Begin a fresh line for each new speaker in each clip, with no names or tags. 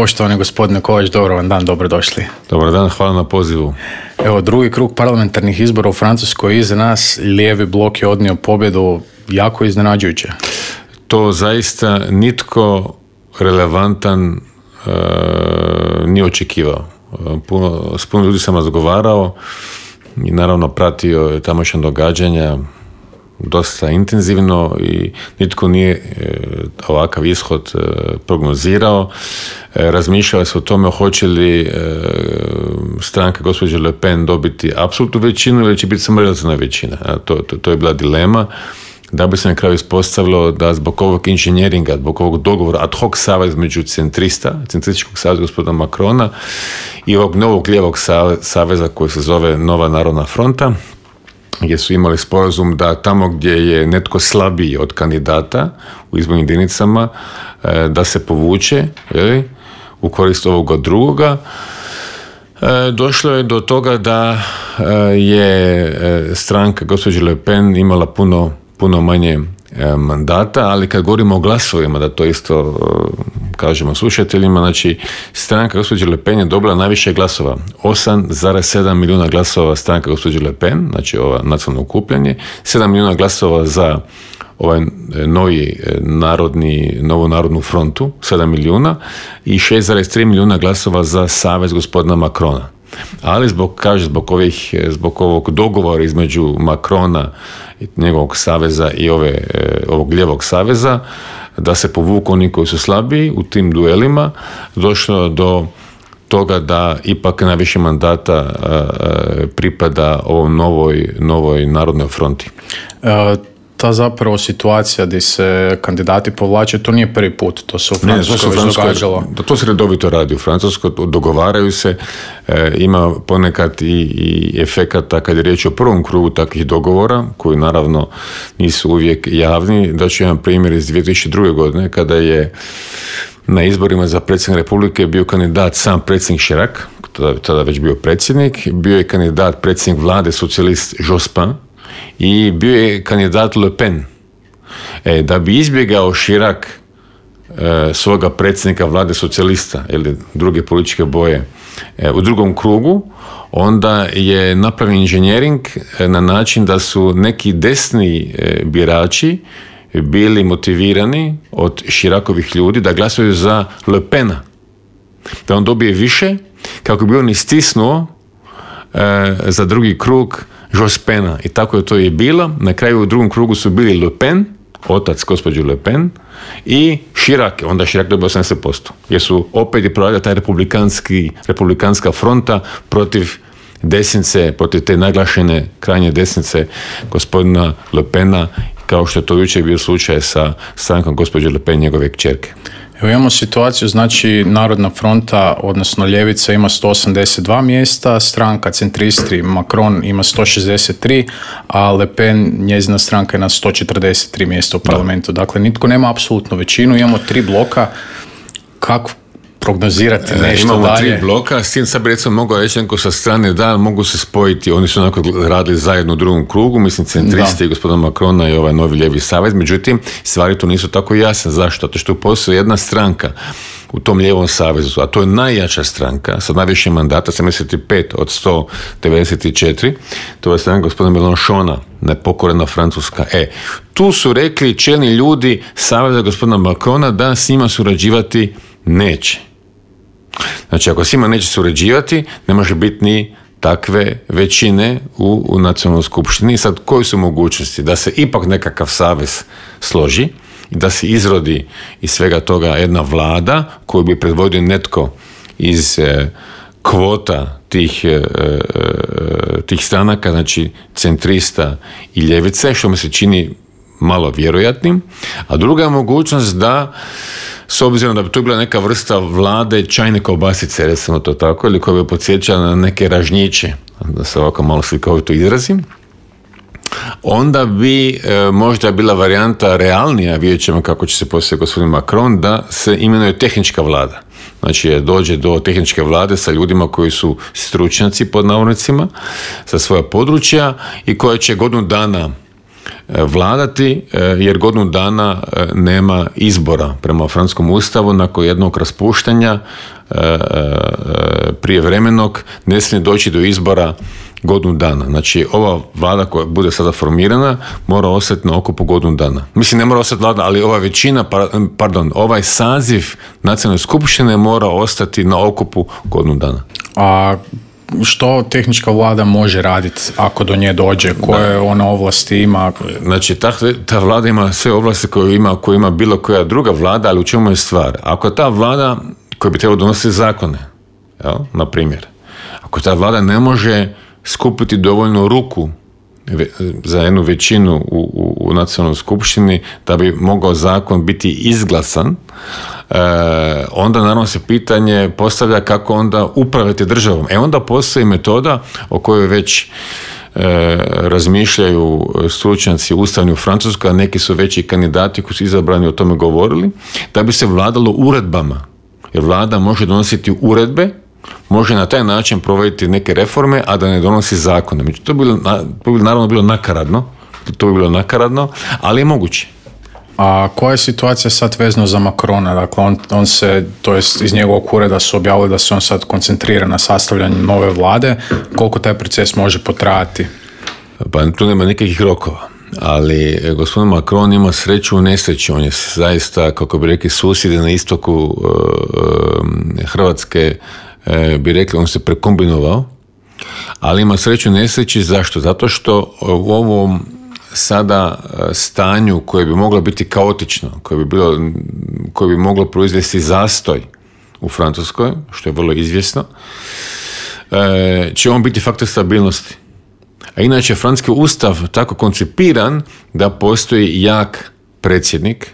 Poštovani gospodine Kovač, dobro vam dan, dobrodošli.
Dobar dan, hvala na pozivu.
Evo, drugi krug parlamentarnih izbora u Francuskoj iza nas, lijevi blok je odnio pobjedu, jako iznenađujuće.
To zaista nitko relevantan nije očekivao. S puno ljudi sam razgovarao i naravno pratio tamošnja događanja dosta intenzivno i nitko nije ovakav ishod prognozirao. Razmišljali se o tome hoće li stranka gospođe Le Pen dobiti apsolutnu većinu ili će biti samo relativna većina. To je bila dilema. Da bi se na kraju ispostavilo da zbog ovog inženjeringa, zbog ovog dogovora ad hoc savez među centrističkog saveza gospodina Macrona i ovog novog lijevog saveza koji se zove Nova narodna fronta, gdje su imali sporazum da tamo gdje je netko slabiji od kandidata u izbornim jedinicama da se povuče u korist ovoga drugoga. Došlo je do toga da je stranka gospođe Le Pen imala puno manje mandata, ali kad govorimo o glasovima, da to isto kažemo slušateljima, znači stranka gospođe Le Pen je dobila najviše glasova, 8,7 milijuna glasova stranka gospođe Le Pen, znači ova nacionalno okupljanje, 7 milijuna glasova za ovaj novu narodnu frontu, 7 milijuna i 6,3 milijuna glasova za savez gospodina Macrona. Ali zbog ovog dogovora između Macrona i njegovog saveza i ovog lijevog saveza, da se povuku oni koji su slabiji u tim duelima, došlo do toga da ipak najviše mandata pripada ovom novoj narodnoj fronti.
Ta zapravo situacija gdje se kandidati povlače, to nije prvi put, to se u Francuskoj već događalo.
To se redovito radi u Francuskoj, dogovaraju se, ima ponekad i efekata kad je riječ o prvom krugu takvih dogovora, koji naravno nisu uvijek javni. Daću jedan primjer iz 2002. godine, kada je na izborima za predsjednika Republike bio kandidat sam predsjednik Chirac, tada već bio predsjednik, bio je kandidat predsjednik vlade socijalist Jospin, i bio je kandidat Le Pen. Da bi izbjegao Chirac svoga predsjednika vlade socijalista ili druge političke boje u drugom krugu, onda je napravljen inženjering na način da su neki desni birači bili motivirani od Chiracovih ljudi da glasuju za Le Pena, da on dobije više, kako bi on istisnuo za drugi krug Jospena. I tako je to i bilo. Na kraju u drugom krugu su bili Le Pen, otac gospođe Le Pen, i Chirac. Onda Chirac dobio 80%. Jer su opet je proradila taj republikanska fronta protiv desnice, protiv te naglašene krajnje desnice gospodina Le Pena, kao što je to jučer bio slučaj sa strankom gospođe Le Pen, njegove kćerke.
Evo imamo situaciju, znači Narodna fronta, odnosno ljevica ima 182 mjesta, stranka centristi Macron ima 163, a Le Pen, njezina stranka je na 143 mjesta u parlamentu. Dakle, nitko nema apsolutnu većinu, imamo 3 bloka. Kako prognozirati nešto
imamo
dalje?
Imamo 3 bloka, s tim sad bi recimo mogao reći neko sa strane da mogu se spojiti, oni su onako radili zajedno u drugom krugu, mislim centristi i gospodina Macrona i ovaj novi lijevi savez, međutim stvari tu nisu tako jasne. Zašto? Zato što postoji jedna stranka u tom lijevom savezu, a to je najjača stranka sa najviše mandata, 75 od 194, to je stranka gospodina Mélenchona, nepokorena Francuska. Tu su rekli čelni ljudi saveza gospodina Macrona da s njima surađivati neće. Znači, ako s njima neće surađivati, ne može biti ni takve većine u nacionalnoj skupštini. Sad, koje su mogućnosti? Da se ipak nekakav savez složi i da se izrodi iz svega toga jedna vlada koju bi predvodio netko iz kvota tih stranaka, znači centrista i ljevice, što mi se čini malo vjerojatnim. A druga je mogućnost da, s obzirom da bi to bila neka vrsta vlade čajne kobasice, recimo to tako, ili koja bi podsjećala na neke ražnjiće, da se ovako malo slikovito izrazim, onda bi možda bila varijanta realnija, vidjet ćemo kako će se poslije gospodin Macron, da se imenuje tehnička vlada. Znači, dođe do tehničke vlade sa ljudima koji su stručnjaci, pod navodnicima, za svoja područja i koja će godinu dana vladati, jer godinu dana nema izbora prema francuskom ustavu. Nakon jednog raspuštanja prijevremenog ne smije doći do izbora godinu dana. Znači, ova vlada koja bude sada formirana mora ostati na okupu godinu dana. Mislim, ne mora ostati vlada, ali ova većina, ovaj saziv nacionalne skupštine mora ostati na okupu godinu dana.
A što tehnička vlada može raditi ako do nje dođe? Koje ona ovlasti ima?
Znači, ta vlada ima sve ovlasti koje ima bilo koja druga vlada, ali u čemu je stvar? Ako ta vlada koja bi trebala donositi zakone, na primjer, ako ta vlada ne može skupiti dovoljno ruku za jednu većinu u nacionalnoj skupštini da bi mogao zakon biti izglasan, onda naravno se pitanje postavlja kako onda upravljati državom. Onda postoji metoda o kojoj već razmišljaju stručnjaci ustavni u Francuskoj, a neki su već i kandidati koji su izabrani o tome govorili, da bi se vladalo uredbama. Jer vlada može donositi uredbe, može na taj način provoditi neke reforme, a da ne donosi zakone. To bi naravno bilo nakaradno, ali je moguće.
A koja je situacija sad vezano za Macrona? Dakle, on se, to jest iz njegovog ureda su objavili da se on sad koncentrira na sastavljanju nove vlade. Koliko taj proces može potrajati?
Pa tu nema nikakvih rokova. Ali gospodin Macron ima sreću u nesreći. On je zaista, kako bi rekli susjedi na istoku Hrvatske, bi rekli, on se prekombinovao, ali ima sreću u nesreći. Zašto? Zato što u ovom sada stanju koje bi moglo biti kaotično, koje bi moglo proizvesti zastoj u Francuskoj, što je vrlo izvjesno, će on biti faktor stabilnosti. A inače, francuski ustav tako koncipiran da postoji jak predsjednik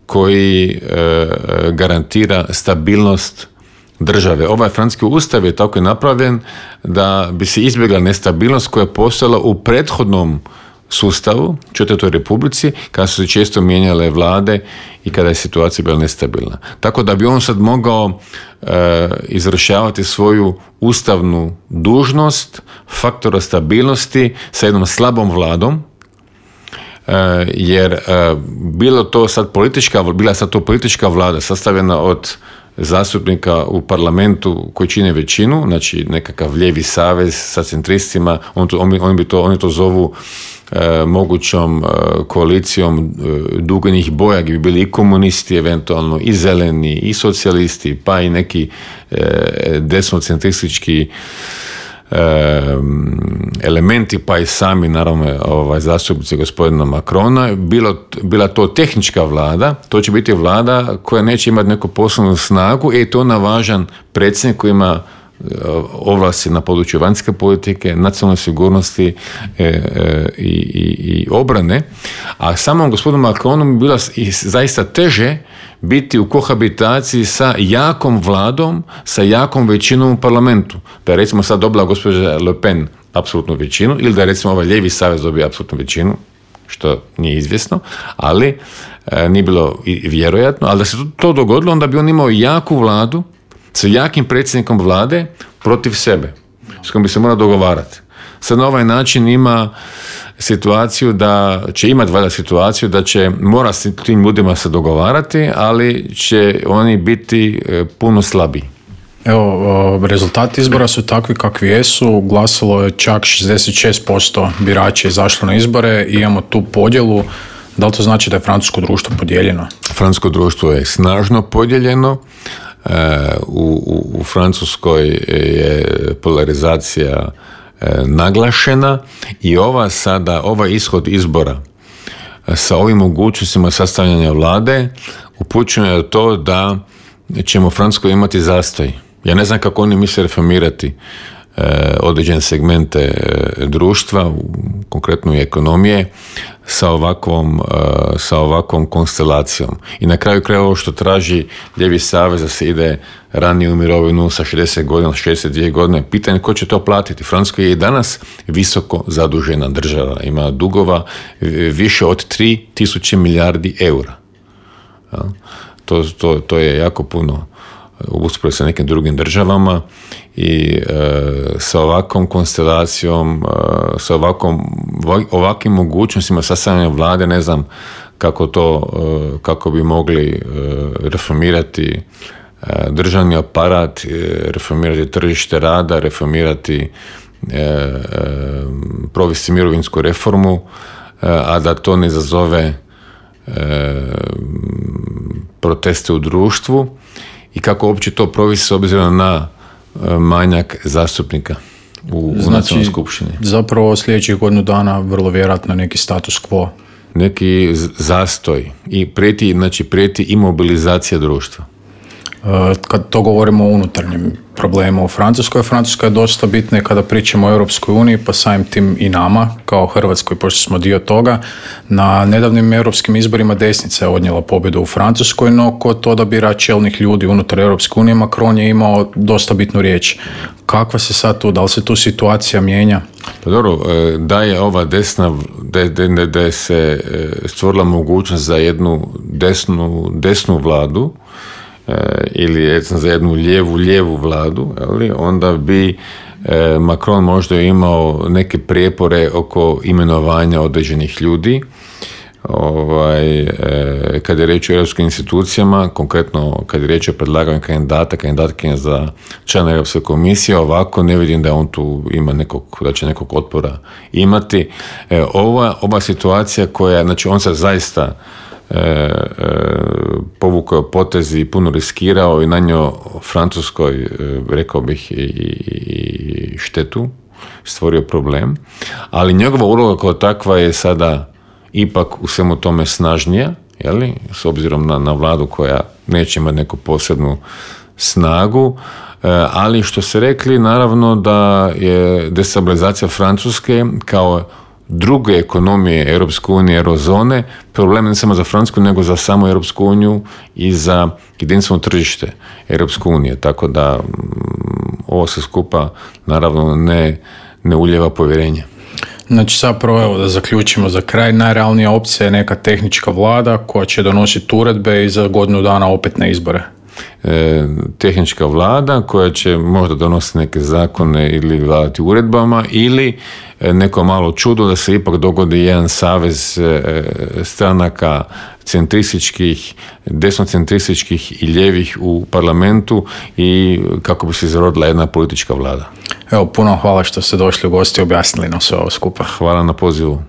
koji garantira stabilnost države. Ovaj francuski ustav je tako napravljen da bi se izbjegla nestabilnost koja je postojala u prethodnom sustavu, Četvrtoj republici, kada su se često mijenjale vlade i kada je situacija bila nestabilna. Tako da bi on sad mogao izvršavati svoju ustavnu dužnost faktora stabilnosti sa jednom slabom vladom, jer bila sad to politička vlada sastavljena od zastupnika u parlamentu koji čine većinu, znači nekakav lijevi savez sa centristima, oni to zovu mogućom koalicijom duganih boja, gdje bi bili i komunisti, eventualno i zeleni, i socijalisti, pa i neki desnocentristički elementi, pa i sami naravno zastupnici gospodina Macrona. Bila to tehnička vlada, to će biti vlada koja neće imati neku poslovnu snagu i to na važan predsjednik koji ima ovlasti na području vanjske politike, nacionalne sigurnosti i obrane, a samom gospodinu Macronu bi bilo zaista teže biti u kohabitaciji sa jakom vladom, sa jakom većinom u parlamentu. Da je recimo sad dobila gospođa Le Pen apsolutnu većinu, ili da je recimo ovaj lijevi savez dobio apsolutnu većinu, što nije izvjesno, ali nije bilo vjerojatno, ali da se to dogodilo, onda bi on imao jaku vladu sa jakim predsjednikom vlade protiv sebe, s kojim bi se morao dogovarati. Sad na ovaj način ima situaciju da će imati valjda situaciju da će morati s tim ljudima se dogovarati, ali će oni biti puno slabiji.
Evo, rezultati izbora su takvi kakvi jesu. Glasalo je čak 66% birača izašlo na izbore i imamo tu podjelu. Da li to znači da je francusko društvo podijeljeno?
Francusko društvo je snažno podijeljeno. U Francuskoj je polarizacija naglašena i ovaj ishod izbora sa ovim mogućnostima sastavljanja vlade upućuje na to da ćemo u Francuskoj imati zastoj. Ja ne znam kako oni misle reformirati određene segmente društva, konkretno i ekonomije, sa ovakvom konstelacijom. I na kraju krajeva ovo što traži lijevi savez da se ide ranije u mirovinu sa 60 godina, 62 godine, pitanje ko će to platiti. Francuska je i danas visoko zadužena država, ima dugova više od 3.000 milijardi eura. To je jako puno usporedbi sa nekim drugim državama i sa ovakvom konstelacijom, sa ovakvim mogućnostima sastavljanja vlade, ne znam kako bi mogli reformirati državni aparat, reformirati tržište rada, reformirati, provesti mirovinsku reformu, a da to ne izazove proteste u društvu i kako uopće to provesti s obzirom na manjak zastupnika u nacionalnoj skupštini.
Zapravo sljedećih godinu dana vrlo vjerojatno neki status quo.
Neki zastoj i prijeti imobilizacija društva.
Kad to govorimo o unutarnjem problemu u Francuskoj, Francuska je dosta bitna kada pričamo o Europskoj uniji, pa samim tim i nama, kao Hrvatskoj, pošto smo dio toga. Na nedavnim europskim izborima desnica je odnijela pobjedu u Francuskoj, no kod odabira čelnih ljudi unutar Europske unije, Macron je imao dosta bitnu riječ. Kakva se sad tu, da li se tu situacija mijenja?
Pa dobro, da je ova da je se stvorila mogućnost za jednu desnu vladu, ili za jednu lijevu vladu, onda bi Macron možda imao neke prijepore oko imenovanja određenih ljudi. Kad je riječ o europskim institucijama, konkretno kad je riječ o predlaganju kandidatkinja za člana Europske komisije, ovako ne vidim da on tu ima da će nekog otpora imati. Ova situacija koja, znači on se zaista povukao potezi i puno riskirao i nanio Francuskoj, rekao bih, i štetu, stvorio problem, ali njegova uloga kao takva je sada ipak u svemu tome snažnija, s obzirom na vladu koja neće imati neku posebnu snagu, ali što ste rekli, naravno da je destabilizacija Francuske kao druge ekonomije Europske unije, eurozone, problem ne samo za Francusku, nego za samu Europsku uniju i za jedinstveno tržište Europske unije. Tako da ovo se skupa naravno ne ulijeva povjerenje.
Znači, zapravo, evo da zaključimo za kraj, najrealnija opcija je neka tehnička vlada koja će donositi uredbe i za godinu dana opet na izbore.
Tehnička vlada koja će možda donositi neke zakone ili vladati uredbama, ili neko malo čudo da se ipak dogodi jedan savez stranaka centrističkih, desnocentrističkih i ljevih u parlamentu i kako bi se izrodila jedna politička vlada.
Evo, puno hvala što ste došli u gosti i objasnili nam sve ovo skupa.
Hvala na pozivu.